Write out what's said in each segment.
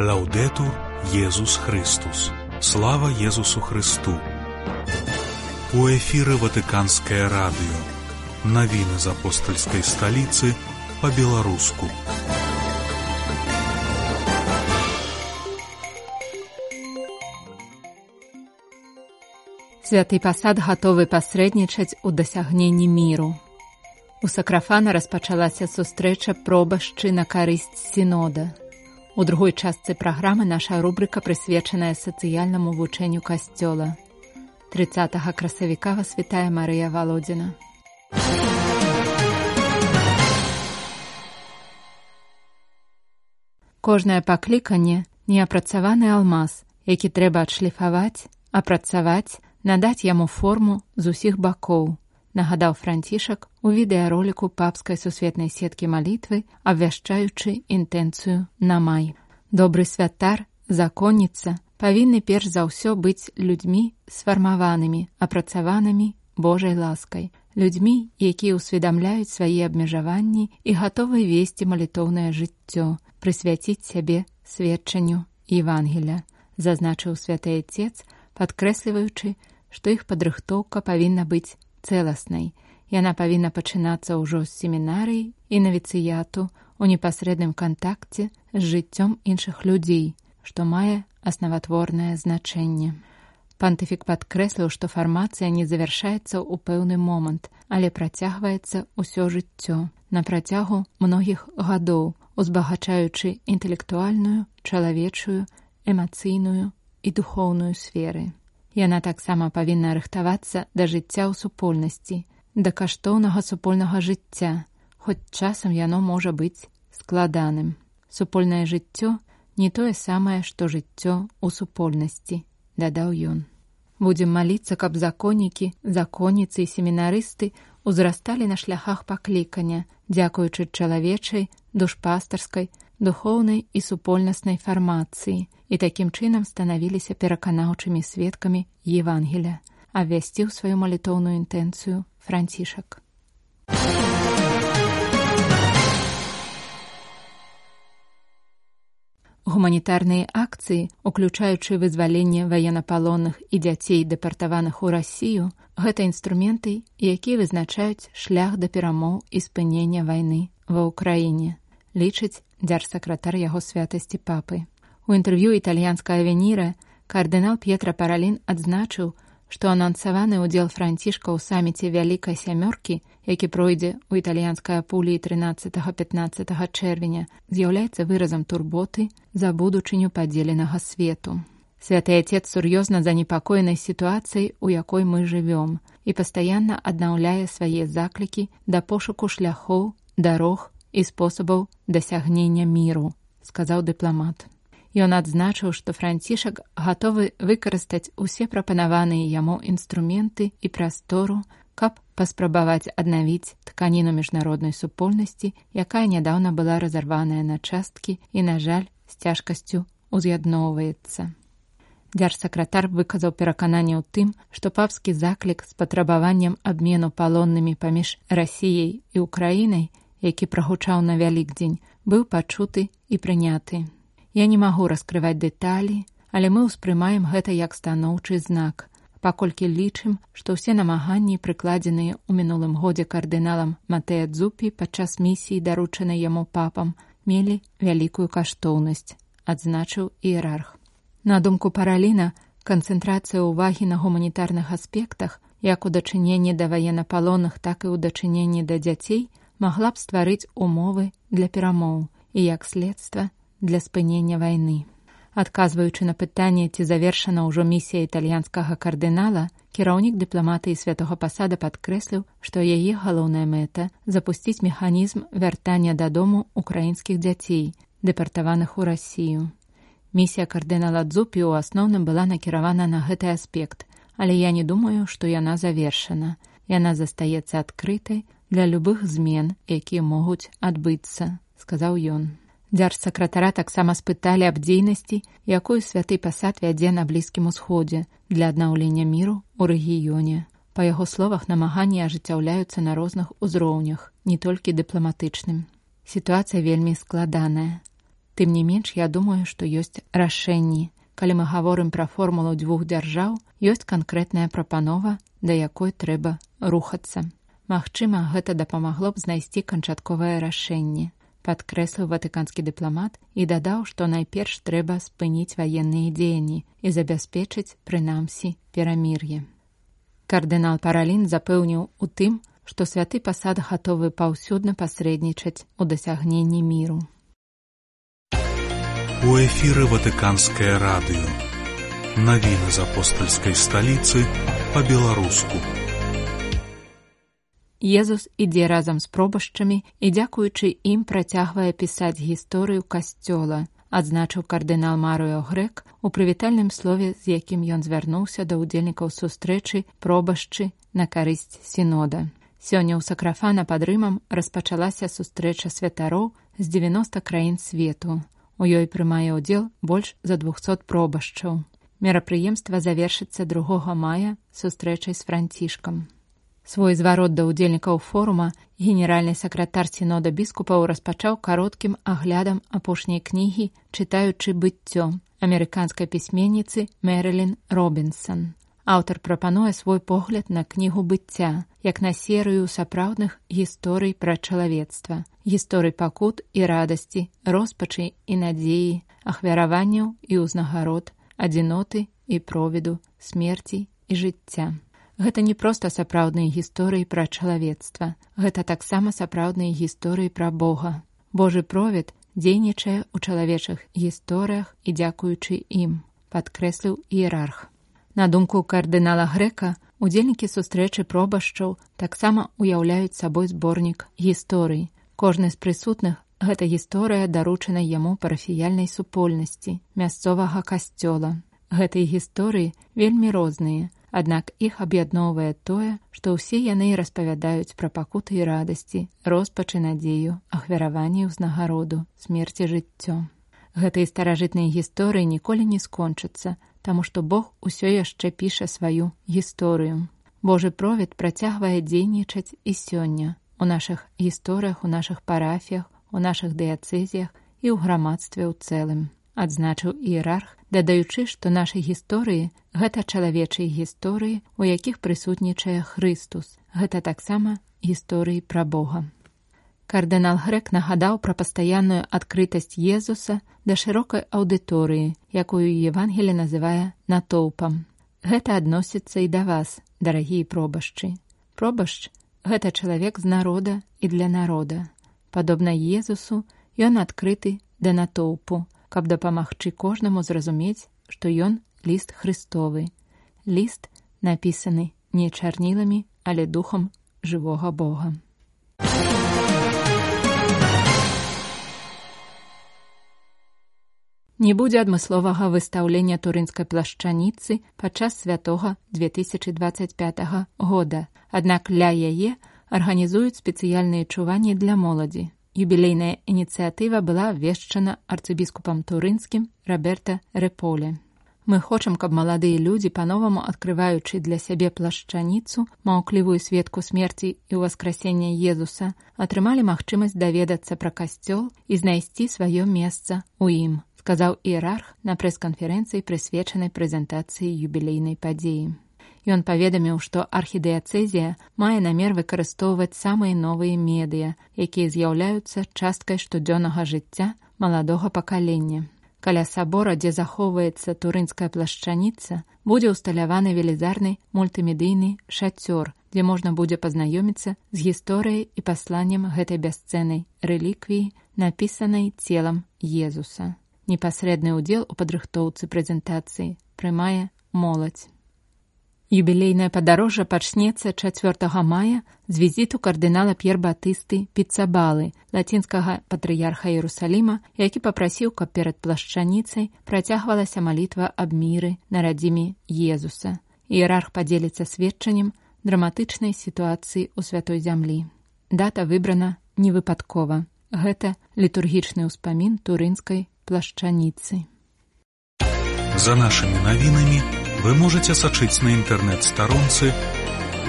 Лаўдэтур Езус Христус. Слава Езусу Христу. У эфіры Ватыканскае радыё. Навіны з апостальскай сталіцы па-беларуску. Святы пасад гатовы пасрэднічаць у дасягненні міру. У Сакрафана распачалася сустрэча пробашчы на карысць сінода. У другой частцы праграмы наша рубрыка прысвечаная сацыяльнаму вучэнню касцёла. 30 красавіка вас вітае Марыя Валодзіна. Кожнае пакліканне – неапрацаваны алмаз, які трэба адшліфаваць, апрацаваць, надаць яму форму з усіх бакоў, нагадаў Францішак у відэароліку папскай сусветнай сеткі малітвы, абвяшчаючы інтэнцыю на май. Добры святар, законніца павінны перш за ўсё быць людзьмі сфармаванымі, апрацаванымі Божай ласкай, людзьмі, якія ўсведамляюць свае абмежаванні і гатовы весці малітоўнае жыццё, прысвяціць сябе сведчанню Евангелля, зазначыў святы Отец, падкрэсліваючы, што іх падрыхтоўка павінна быць цэласнай. Яна павінна пачынацца ўжо з семінарыі і навіцыяту у непасрэдным кантакце з жыццём іншых людзей, што мае аснаватворнае значэнне. Пантыфік падкрэсліў, што фармацыя не завяршаецца ў пэўны момант, але працягваецца ўсё жыццё, на працягу многіх гадоў, узбагачаючы інтэлектуальную, чалавечую, эмацыйную і духоўную сферы. Яна таксама павінна рыхтавацца да жыцця ў супольнасці, да каштоўнага супольнага жыцця, хоць часам яно можа быць складаным. Супольнае жыццё не тое самае, што жыццё ў супольнасці, дадаў ён. Будзем маліцца, каб законнікі, законніцы і семінарысты узрасталі на шляхах паклікання, дзякуючы чалавечай, душпастарскай, духоўнай і супольнаснай фармацыі, і такім чынам станавіліся пераканаўчымі сведкамі Евангеля, абвясціў сваю малітоўную інтэнцыю Францішак. Гуманітарныя акцыі, уключаючы вызваленне ваеннапалонных і дзяцей, дэпартаваных у Расію, гэта інструменты, якія вызначаюць шлях да перамоў і спынення вайны ва ўкраіне, лічыць дзяржсакратар яго святасці папы. У інтэрв'ю італьянская Авеніра кардынал П'етра Паралін адзначыў, што анансаваны ўдзел Францішка ў саміце Вялікай сямёркі, які пройдзе ў італьянскай Апуліі 13-15 чэрвеня, з'яўляецца выразам турботы за будучыню падзеленага свету. Святы Отец сур'ёзна занепакоены сітуацыяй, у якой мы жывём, і пастаянна аднаўляе свае заклікі да пошуку шляхоў, дарог і спосабаў дасягнення міру, сказаў дыпламат. Ён адзначыў, што Францішак гатовы выкарыстаць усе прапанаваныя яму інструменты і прастору, каб паспрабаваць аднавіць тканіну міжнароднай супольнасці, якая нядаўна была разарваная на часткі і, на жаль, з цяжкасцю уз'ядноўваецца. Дзяржсакратар выказаў перакананне ў тым, што папскі заклік з патрабаваннем абмену палоннымі паміж Расіяй і Украінай, які прагучаў на Вялікдзень, быў пачуты і прыняты. Я не магу раскрываць дэталі, але мы ўспрымаем гэта як станоўчы знак, паколькі лічым, што ўсе намаганні, прыкладзеныя ў минулым годзе кардыналам Матэа Дзупі падчас місіі, даручанай яму папам, мелі вялікую каштоўнасць, адзначыў іерарх. На думку Параліна, канцэнтрацыя ўвагі на гуманітарных аспектах, як у дачыненні да ваеннапалонных, так і ў дачыненні да дзяцей, магла б стварыць умовы для перамоў і, як следства, для спынення вайны. Адказваючы на пытанне, ці завершана ўжо місія італьянскага кардынала, кіраўнік дыпламатыі святога пасада падкрэсліў, што яе галоўная мэта – запусціць механізм вяртання дадому украінскіх дзяцей, дэпартаваных у Расію. Місія кардынала Дзупі ў асноўным была накіравана на гэты аспект, але я не думаю, што яна завершана. Яна застаецца адкрытай для любых змен, якія могуць адбыцца, сказаў ён. Дзяржсакратара таксама спыталі аб дзейнасці, якую святы пасад вядзе на Блізкім Усходзе для аднаўлення міру ў рэгіёне. Па яго словах, намаганні ажыццяўляюцца на розных узроўнях, не толькі дыпламатычным. Сітуацыя вельмі складаная. Тым не менш, я думаю, што ёсць рашэнні. Калі мы гаворым пра формулу двух дзяржаў, ёсць канкрэтная прапанова, да якой трэба рухацца. Магчыма, гэта дапамагло б знайсці канчатковае рашэнне, падкрэсліў ватыканскі дыпламат і дадаў, што найперш трэба спыніць ваенныя дзеянні і забяспечыць, прынамсі, перамір'е. Кардынал Паралін запэўніў у тым, што святы пасад гатовы паўсюдна пасрэднічаць у дасягненні міру. У эфіры Ватыканскае радыё. Навіны з апостальскай сталіцы па-беларуску. Езус ідзе разам з пробашчамі і, дзякуючы ім, працягвае пісаць гісторыю касцёла, адзначыў кардынал Марыо Грэк у прывітальным слове, з якім ён звярнуўся да ўдзельнікаў сустрэчы пробашчы на карысць сінода. Сёння ў Сакрафана пад Рымам распачалася сустрэча святароў з 90 краін свету. У ёй прымае ўдзел больш за 200 пробашчаў. Мерапрыемства завершыцца 2 мая сустрэчай з Францішкам. Свой зварот да ўдзельнікаў форума генеральны сакратар сінода біскупаў распачаў кароткім аглядам апошняй кнігі «Чытаючы быццё» амерыканскай пісьменніцы Мэрылін Робінсон. Аўтар прапануе свой погляд на кнігу быцця, як на серыю сапраўдных гісторый пра чалавецтва, гісторый пакут і радасці, роспачы і надзеі, ахвяраванняў і ўзнагарод, адзіноты і провіду, смерці і жыцця. Гэта не проста сапраўдныя гісторыі пра чалавецтва, гэта таксама сапраўдныя гісторыі пра Бога. Божы провід дзейнічае ў чалавечых гісторыях і дзякуючы ім, падкрэсліў іерарх. На думку кардынала Грэка, удзельнікі сустрэчы пробашчаў таксама уяўляюць сабой зборнік гісторый. Кожны з прысутных гэта гісторыя даручана яму парафіяльнай супольнасці, мясцовага касцёла. Гэтыя гісторыі вельмі розныя, аднак іх аб'ядноўвае тое, што ўсе яны распавядаюць пра пакуты і радасці, роспачы, надзею, ахвяраванне ўзнагароду, смерці, жыццё. Гэтыя старажытныя гісторыі ніколі не скончацца, таму што Бог усё яшчэ піша сваю гісторыю. Божы провід працягвае дзейнічаць і сёння у нашых гісторыях, у нашых парафіях, у нашых дыяцэзіях і ў грамадстве ў цэлым, адзначыў іерарх, дадаючы, што нашы гісторыі – гэта чалавечыя гісторыі, у якіх прысутнічае Хрыстус. Гэта таксама гісторыі пра Бога. Кардынал Грэк нагадаў пра пастаянную адкрытасць Езуса да шырокай аўдыторыі, якую Евангелле называе натоўпам. Гэта адносіцца і да вас, дарагія пробашчы. Пробашч – гэта чалавек з народа і для народа. Падобна Езусу, ён адкрыты да натоўпу, каб дапамагчы кожнаму зразумець, што ён ліст Христовы. Ліст, напісаны не чарніламі, але духам жывога Бога. Не будзе адмысловага выстаўлення турынскай плашчаніцы падчас святога 2025 года, аднак ля яе арганізуюць спецыяльныя чуванні для моладзі. Юбілейная ініцыятыва была абвешчана арцыбіскупам турынскім Роберта Реполе. Мы хочам, каб маладыя людзі, па-новаму адкрываючы для сябе плашчаніцу, маўклівую сведку смерці і ўваскрасення Езуса, атрымалі магчымасць даведацца пра касцёл і знайсці сваё месца ў ім, сказаў іерарх на прэс-канферэнцыі, прысвечанай прэзентацыі юбілейнай падзеі. Ён паведаміў, што архідыяцэзія мае намер выкарыстоўваць самыя новыя медыя, якія з'яўляюцца часткай штодзённага жыцця маладога пакалення. Каля сабора, дзе захоўваецца турынская плашчаніца, будзе ўсталяваны велізарны мультымедыйны шацёр, дзе можна будзе пазнаёміцца з гісторыяй і пасланнем гэтай бясцэннай рэліквіі, напісанай целам Езуса. Непасрэдны ўдзел у падрыхтоўцы прэзентацыі прымае моладзь. Юбілейнае падарожжа пачнецца 4 мая з візіту кардынала П'ер-Батысты Піцабалы, лацінскага патрыярха Іерусаліма, які папрасіў, каб перад плашчаніцай працягвалася малітва аб міры на радзіме Езуса. Іерарх падзеліцца сведчаннем драматычнай сітуацыі ў святой зямлі. Дата выбрана невыпадкова. Гэта літургічны ўспамін турынскай плашчаніцы. За нашымі навінамі вы можете сачыць на інтэрнэт-старонцы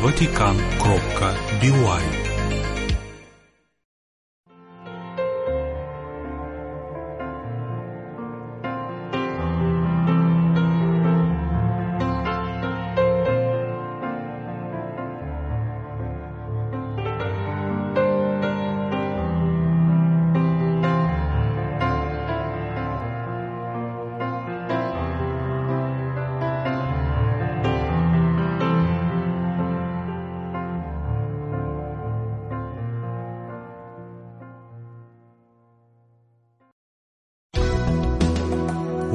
vatican.by.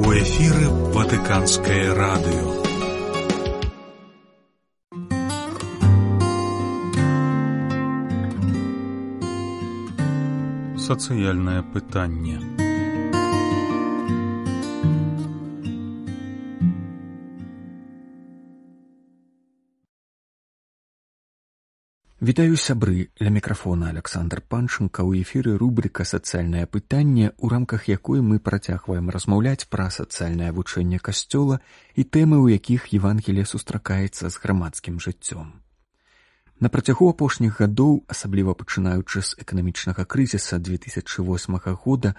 У эфіры Ватыканскае радыё. Сацыяльнае пытанне. Вітаю, сябры, ля мікрафона Александр Панченко. У эфіры рубрика «Сацыяльнае пытанне», у рамках якой мы працягваем размаўляць пра сацыяльнае вучэнне Касцёла і тэмы, у якіх Евангелие сустракаецца з грамадскім жыццём. На працягу апошніх гадоў, асабліва пачынаючы з эканамічнага крызіса 2008 года,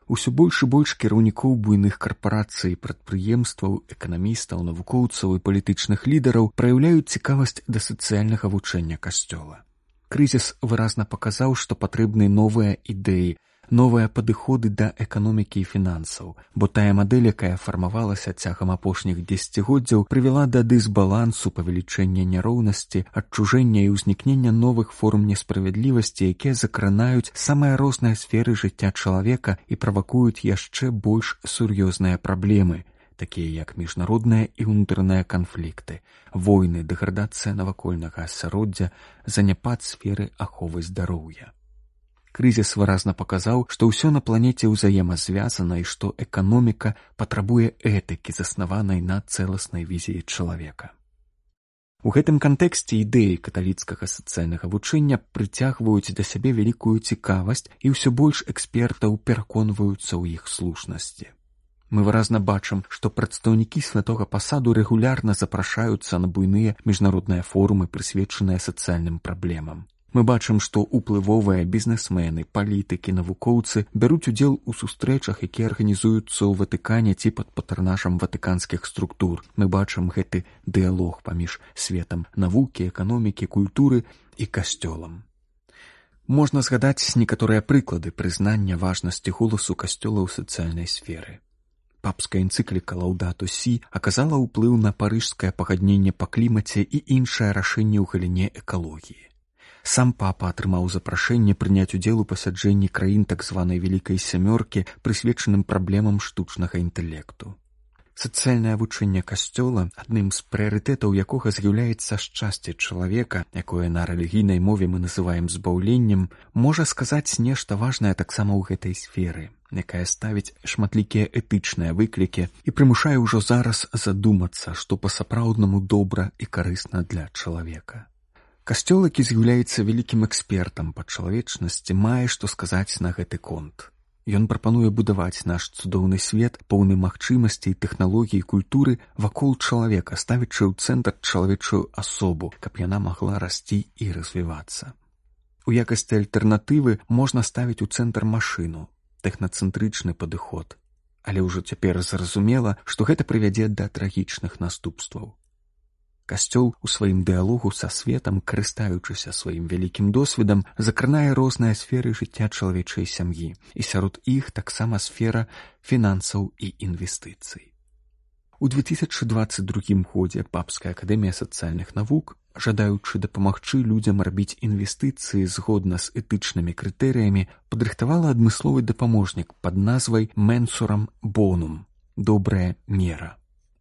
усё больш і больш кіраўнікоў буйных карпарацый, прадпрыемстваў, эканамістаў, навукоўцаў і палітычных лідараў праяўляюць цікавасць да сацыяльнага вучэння Касцёла. Крызіс выразна паказаў, што патрэбны новыя ідэі, новыя падыходы да эканомікі і фінансаў, бо тая мадэль, якая фармавалася цягам апошніх дзесяцігоддзяў, прывяла да дысбалансу, павелічэння няроўнасці, адчужэння і ўзнікнення новых форм несправядлівасці, якія закранаюць самыя розныя сферы жыцця чалавека і правакуюць яшчэ больш сур'ёзныя праблемы, такія як міжнародныя і ўнутраныя канфлікты, войны, дэградацыя навакольнага асяроддзя, заняпад сферы аховы здароўя. Крызіс выразна паказаў, што ўсё на планеце ўзаемазвязана і што эканоміка патрабуе этыкі, заснаванай на цэласнай візіі чалавека. У гэтым кантэксце ідэі каталіцкага сацыяльнага вучэння прыцягваюць да сябе вялікую цікавасць і ўсё больш экспертаў пераконваюцца ў іх слушнасці. Мы выразна бачым, што прадстаўнікі святога пасаду рэгулярна запрашаюцца на буйныя міжнародныя форумы, прысвечаныя сацыяльным праблемам. Мы бачым, што ўплывовыя бізнесмены, палітыкі, навукоўцы бяруць удзел у сустрэчах, якія арганізуюцца ў Ватыкане ці пад патранажам ватыканскіх структур. Мы бачым гэты дыялог паміж светам навукі, эканомікі, культуры і касцёлам. Можна згадаць некаторыя прыклады прызнання важнасці голасу касцёла ў сацыяльнай сферы. Папская энцыкліка «Лаўдату сі» аказала ўплыў на парыжскае пагадненне па клімаце і іншае рашэнне ў галіне экалогіі. Сам папа атрымаў запрашэнне прыняць удзел у пасяджэнні краін так званай Вялікай Сямёркі, прысвечаным праблемам штучнага інтэлекту. Сацыяльнае вучэнне Касцёла, адным з прыярытэтаў якога з'яўляецца шчасце чалавека, якое на рэлігійнай мове мы называем збаўленнем, можа сказаць нешта важнае таксама ў гэтай сферы, якая ставіць шматлікія этычныя выклікі і прымушае ўжо зараз задумацца, што па-сапраўднаму добра і карысна для чалавека. Касцёл, які з'яўляецца вялікім экспертам па чалавечнасці, мае што сказаць на гэты конт. Ён прапануе будаваць наш цудоўны свет, поўны магчымасцей, тэхналогій і культуры вакол чалавека, ставячы ў цэнтр чалавечую асобу, каб яна магла расці і развівацца. У якасці альтэрнатывы можна ставіць у цэнтр машыну, тэхнацэнтрычны падыход. Але ўжо цяпер зразумела, што гэта прывядзе да трагічных наступстваў. Касцёл у сваім дыялогу са светам, карыстаючыся сваім вялікім досведам, закранае розныя сферы жыцця чалавечай сям'і, і сярод іх таксама сфера фінансаў і інвестыцый. У 2022 годзе Папская акадэмія сацыяльных навук, жадаючы дапамагчы людзям рабіць інвестыцыі згодна з этычнымі крытэрыямі, падрыхтавала адмысловы дапаможнік пад назвай «Менсурам бонум» – «Добрая мера».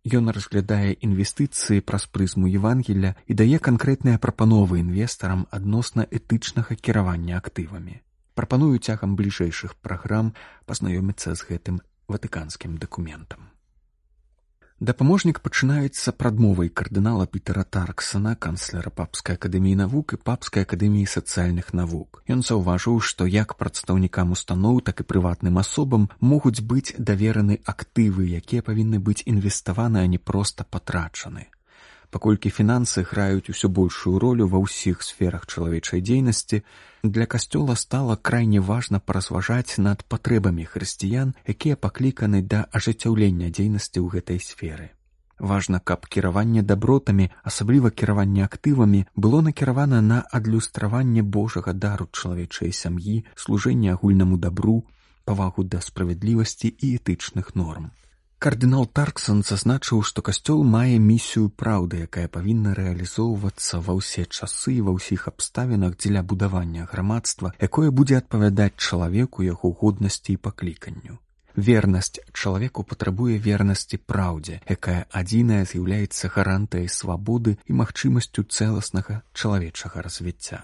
Ён разглядае інвестыцыі праз прызму Евангелля і дае канкрэтныя прапановы інвестарам адносна этычнага кіравання актывамі. Прапаную цягам бліжэйшых праграм пазнаёміцца з гэтым ватыканскім дакументам. Дапаможнік пачынаецца прадмовай кардынала Пітера Тарксона, канцлера Папскай акадэміі навук і Папскай акадэміі сацыяльных навук. Ён заўважыў, што як прадстаўнікам устаноў, так і прыватным асобам могуць быць давераны актывы, якія павінны быць інвеставаны, а не проста патрачаны. Паколькі фінансы граюць усё большую ролю ва ўсіх сферах чалавечай дзейнасці, для Касцёла стала крайне важна паразважаць над патрэбамі хрысціян, якія пакліканы да ажыццяўлення дзейнасці ў гэтай сферы. Важна, каб кіраванне дабротамі, асабліва кіраванне актывамі, было накіравана на адлюстраванне Божага дару чалавечай сям'і, служэнне агульнаму дабру, павагу да справядлівасці і этычных норм. Кардынал Тарксон зазначыў, што Касцёл мае місію праўды, якая павінна рэалізоўвацца ва ўсе часы і ва ўсіх абставінах дзеля будавання грамадства, якое будзе адпавядаць чалавеку, яго годнасці і пакліканню. Вернасць чалавеку патрабуе вернасці праўдзе, якая адзіная з'яўляецца гарантыяй свабоды і магчымасцю цэласнага чалавечага развіцця.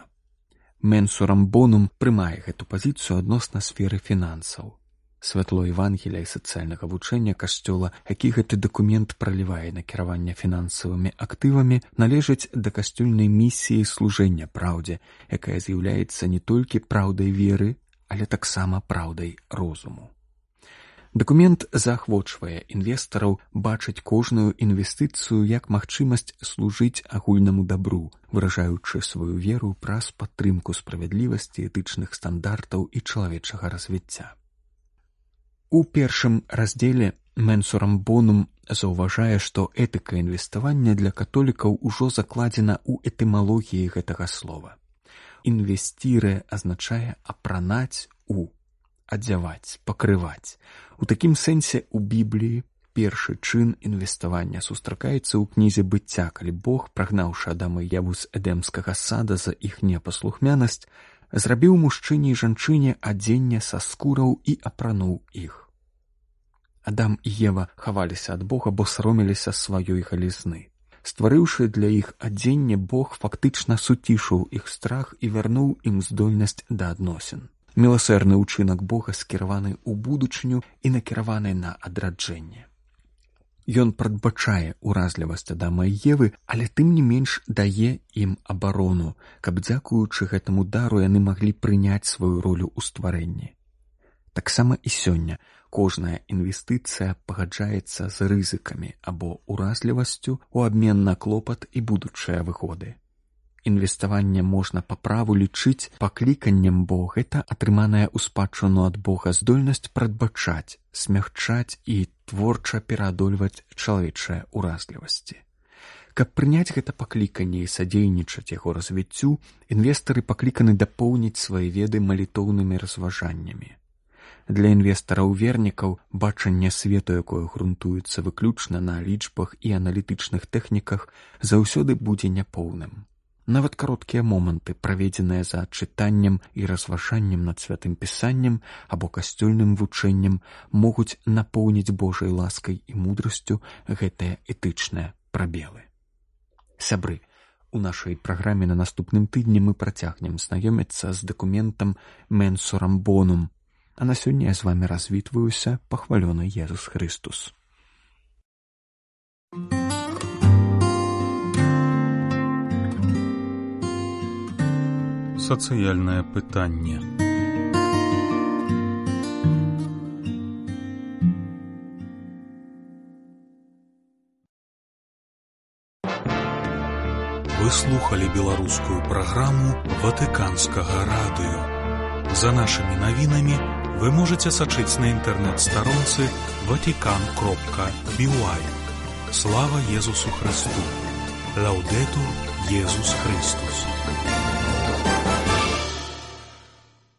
Менсурам Бонум прымае гэту пазіцыю адносна сферы фінансаў. Святло Евангелія і сацыяльнага вучэння Касцёла, які гэты дакумент пралівае на кіраванне фінансавымі актывамі, належыць да касцёльнай місіі служэння праўдзе, якая з'яўляецца не толькі праўдай веры, але таксама праўдай розуму. Дакумент заахвочвае інвестараў бачыць кожную інвестыцыю як магчымасць служыць агульнаму дабру, выражаючы сваю веру праз падтрымку справядлівасці, этычных стандартаў і чалавечага развіцця. У першым раздзеле Менсурам Бонум заўважае, што этыка інвеставання для католікаў ужо закладзена ў этымалогіі гэтага слова. Інвестіре азначае апранаць адзяваць, пакрываць. У такім сэнсе ў Бібліі першы чын інвеставання сустракаецца ў кнізе быцця, калі Бог, прагнаўшы Адама і Еву з эдэмскага сада за іх непаслухмянасць, зрабіў мужчыне і жанчыне адзенне са скураў і апрануў іх. Адам і Ева хаваліся ад Бога, бо саромеліся сваёй галізны. Стварыўшы для іх адзенне, Бог фактычна суцішыў іх страх і вярнуў ім здольнасць да адносін. Міласэрны ўчынак Бога скіраваны ў будучыню і накіраваны на адраджэнне. Ён прадбачае уразлівасць Адама і Евы, але тым не менш дае ім абарону, каб дзякуючы гэтаму дару яны маглі прыняць сваю ролю ў стварэнні. Таксама і сёння кожная інвестыцыя пагаджаецца з рызыкамі або уразлівасцю ў абмен на клопат і будучыя выгоды. Інвеставанне можна па праву лічыць пакліканнем, бо гэта атрыманая ў спадчыну ад Бога здольнасць прадбачаць, смягчаць і творча пераадольваць чалавечыя уразлівасці. Каб прыняць гэта пакліканне і садзейнічаць яго развіццю, інвестары пакліканы дапоўніць свае веды малітоўнымі разважаннямі. Для інвестараў-вернікаў бачанне свету, якое грунтуецца выключна на лічбах і аналітычных тэхніках, заўсёды будзе няпоўным. Нават кароткія моманты, праведзеныя за чытаннем і разважаннем над святым пісаннем або касцёльным вучэннем, могуць напоўніць Божай ласкай і мудрасцю гэтыя этычныя прабелы. Сябры, у нашай праграме на наступным тыдні мы працягнем знаёміцца з дакументам Менсурам Бонум. А на сёння я з вамі развітваюся, пахвалёны Езус Христус. Сацыяльнае пытанне. Вы слухали беларускую праграму Ватыканскага радыё. За нашымі навінамі вы можете сачыць на інтэрнэт-старонцы vatican.by. Слава Езусу Христу! Лаўдэтур Езус Христус!